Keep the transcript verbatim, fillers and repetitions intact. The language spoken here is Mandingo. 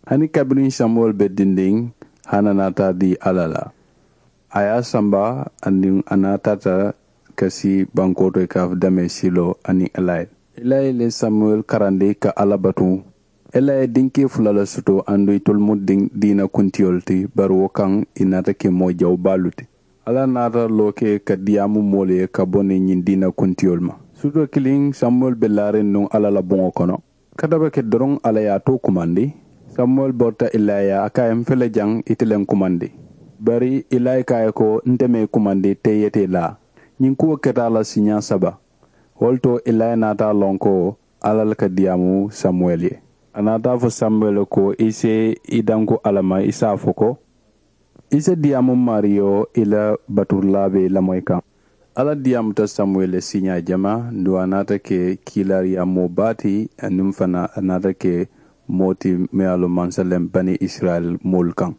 Hani kabiriŋ samuwel be dindiŋ, hana naata di alla la. A ye a samba, aduŋ a naataata ka si bankoo to i ka a fo damee siiloo aniŋ elayi. Elayi le samuwel karandi ka alla batu. Elayi ye dinkee fula le soto, aduŋ itolu mu diina kuntiyolu ti, bari wo kaŋ i naata ke moo jawu baalu ti. Alla naata loo ke ka diyaamu moolu ye ka bo niŋ ñiŋ diina kuntiyolu ma. Suutoo kiliŋ samuwel be laariŋ nuŋ alla la buŋo kono. Kata be ke doroŋ, alla ye a too kumandi. Samuwel borita elayi ye a ko a ye m fele jaŋ, ite le ŋ kumandi. Bari elayi ko a ye ko, nte maŋ i kumandi, teŋ i ye taa i laa. Ñiŋ kuwo keta a la siiñaa saba. Wo le to elayi naata a loŋ ko alla le ka diyaamu samuwel ye. A naata a fo samuwel ye ko, i si i danku alla ma, i si a fo ko, i si diyaamu maariyo i la baturilaa be i lamoyi kaŋ. Alla diyaamuta samuwel ye siiñaa jamaa, aduŋ a naata ke kiilaariyaa moo baa ti, aniŋ fanaa a naata ke moo ti meŋ ye a loŋ maŋ seleŋ bani isirayila moolu kaŋ.